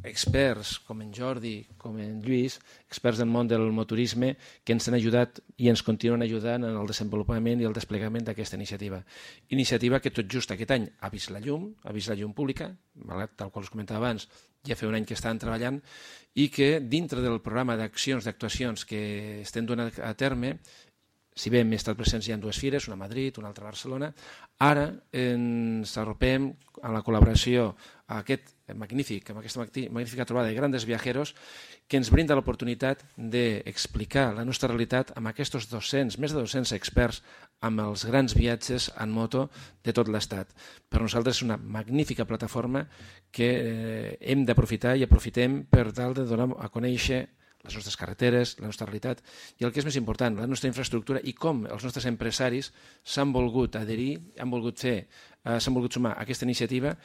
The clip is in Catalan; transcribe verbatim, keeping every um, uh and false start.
experts com en Jordi, com en Lluís, experts del món del motorisme, que ens han ajudat i ens continuen ajudant en el desenvolupament i el desplegament d'aquesta iniciativa. Iniciativa que tot just aquest any ha vist la llum, ha vist la llum pública, tal qual us comentava abans, ja fa un any que estan treballant, i que dintre del programa d'accions, d'actuacions que estem donant a terme, si bé hem estat presents ja en dues fires, una a Madrid, una altra a Barcelona, ara ens arropem a la col·laboració a aquest magnífic, amb aquesta magnífica trobada de Grandes Viajeros, que ens brinda l'oportunitat d'explicar la nostra realitat amb aquests dos-cents, més de dos-cents experts amb els grans viatges en moto de tot l'Estat. Per nosaltres és una magnífica plataforma que hem d'aprofitar i aprofitem per tal de donar a conèixer les nostres carreteres, la nostra realitat i el que és més important, la nostra infraestructura i com els nostres empresaris s'han volgut adherir, han volgut fer, s'han volgut sumar a aquesta iniciativa